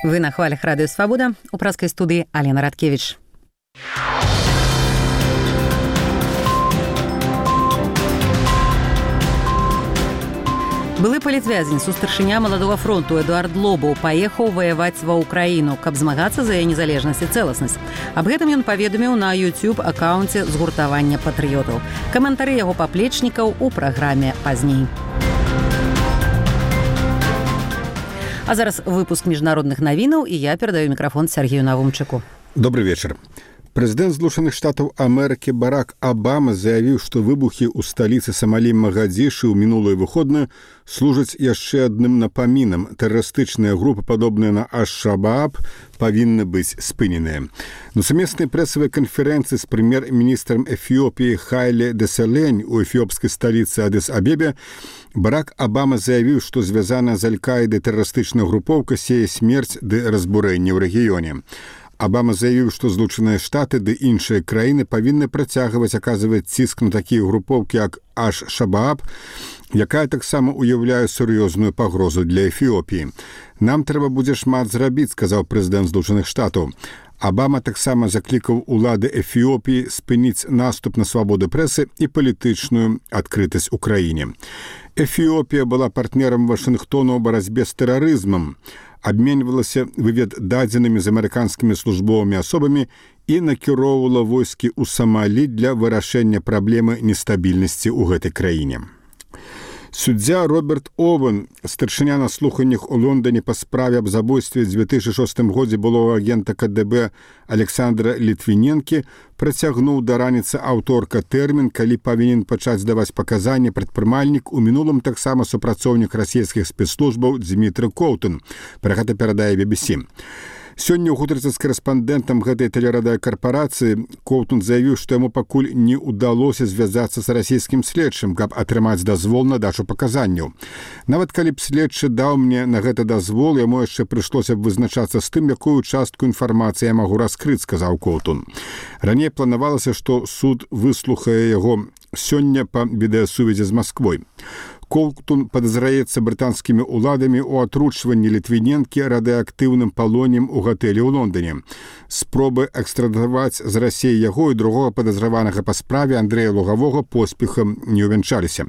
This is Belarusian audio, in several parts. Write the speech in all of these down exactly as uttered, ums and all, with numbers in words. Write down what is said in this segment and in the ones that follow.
Вы на хвалях Радио Свобода. У праскай студыі Алена Радкевич. Былы палітвязень, сустаршыня маладога фронту Эдуард Лобаў паехаў ваяваць ва ўкраіну, каб змагацца за яе незалежнасць і цэласнасць. Аб гэтым ён паведаміў на YouTube-акаунце згуртавання патрыётаў. Каментары яго паплечнікаў у праграме пазней. А зараз выпуск міжнародных навінаў, і я перадаю мікрафон Сергею Навумчыку. Добрый вечер. Прэзідэнт Злучаных Штатаў Амерыкі Барак Абама заявіў, што выбухі ў сталіцы Самалі Магадзішы ў мінулую выходную служаць яшчэ адным напамінам. Тэрарыстычныя групы, падобныя на Аш-Шабааб, павінны быць спыненыя. На сумеснай прэсавай канферэнцыі з прэм'ер-міністрам Эфіопіі Хайле Деселень у эфіопскай сталіцы Адыс-Абебе Барак Абама заявіў, што звязаная з Аль-Каідай тэрарыстычная групоўка сее смерць ды разбурэнне ў рэгіёне. Абама заявіў, што Злучаныя Штаты ды іншыя краіны павінны працягваць аказваць ціск на такія групоўкі, як Аш-Шабааб, якая таксама ўяўляе сур'ёзную пагрозу для Эфіопіі. «Нам трэба будзе шмат зрабіць», сказаў прэзідэнт Злучаных Штатаў. Абама таксама заклікаў улады Эфіопіі спыніць наступ на свабоду прэсы і палітычную адкрытасць у краіне. Эфіопія была партнерам Вашынгтону ў барацьбе з тэрарызмам, абменьвалася вывед дадзенымі з амерыканскімі службовымі асобамі і накіроўвала войскі ў Самалі для вырашэння праблемы нестабільнасці ў гэтай краіне. Суддзя Роберт Овен, старшыня на слуханнях у Лондоне па справе аб забойстве ў дзве тысячы шостым годзе былога агента ка дэ бэ Александра Літвіненкі, працягнуў да раніцы аўторка тэрмін, калі павінен пачаць даваць паказанні прадпрымальнік, у мінулым таксама супрацоўнік расійскіх спецслужбаў Дзмітрый Коўтун. Пра гэта перадае би би сі. Сёння ў гутарцы з карэспандэнтам гэтай тэлерадыёкарпарацыі Коўтун заявіў, што яму пакуль не ўдалося звязацца з расійскім следчым, каб атрымаць дазвол на дачу паказанняў. Нават калі б следчы даў мне на гэта дазвол, яму яшчэ прыйшлося б вызначацца з тым, якую частку інфармацыі я магу раскрыць, сказаў Коўтун. Раней планавалася, што суд выслухае яго сёння па відэасувязі з Масквой. Коўтун падазраецца брытанскімі ўладамі ў атручванні Літвіненкі радыеактыўным палоннем у гатэлі ў Лондоне. Спробы экстрадаваць з Расіі яго і другога падазраванага па справе Андрэя Лугавога поспехам не ўвянчаліся.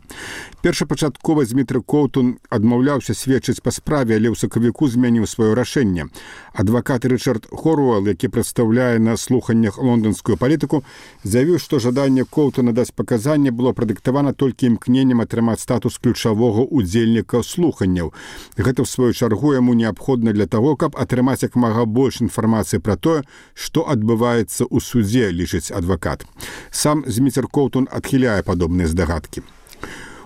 Першапачаткова Дзмітрый Коўтун адмаўляўся сведчыць па справе, але ў сакавіку змяніў сваё рашэнне. Адвакат Рычард Хоруэлл, які прадстаўляе на слуханнях лонданскую палітыку, заявіў, што жаданне Коўтуна даць паказанне было прадыктавана толькі імкненнем атрымаць статус ключавога удзельніка слуханняў. Гэта, ў сваю чаргу, яму неабходна для таго, каб атрымаць як мага больш інфармацыі пра тое, што адбываецца ў судзе, лічыць адвакат. Сам Дзміцер Коўтун адхіляе падобныя здагадкі.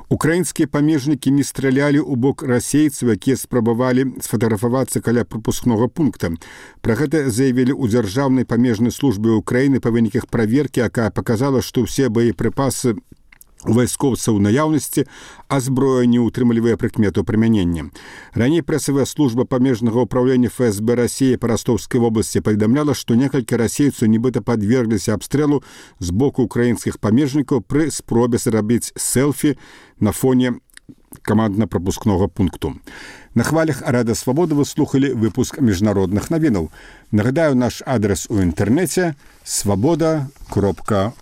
Украінскія памежнікі не стралялі ў бок расейцаў, якія спрабавалі сфатаграфавацца каля прапускнога пункта. Пра гэта заявілі ў дзяржаўнай памежнай службе Украіны па выніках праверкі, якая паказала, што ўсе боепрыпасы у вайскоўцаў у наяўнасці, а зброя не ўтрымлівае прыкмету прымянення. Раней прэсавая служба памежнага ўпраўлення эф эс бэ Расіі па Ростовскай вобласці паведамляла, што некалькі расейцаў нібыта падвергліся абстрэлу з боку украінскіх памежнікаў пры спробе зрабіць селфі на фоне камандна-прапускнога пункту. На хвалях Радыё Свабода вы слухалі выпуск міжнародных навінаў. Нагадаю, наш адрес у інтэрнэце свабода кропка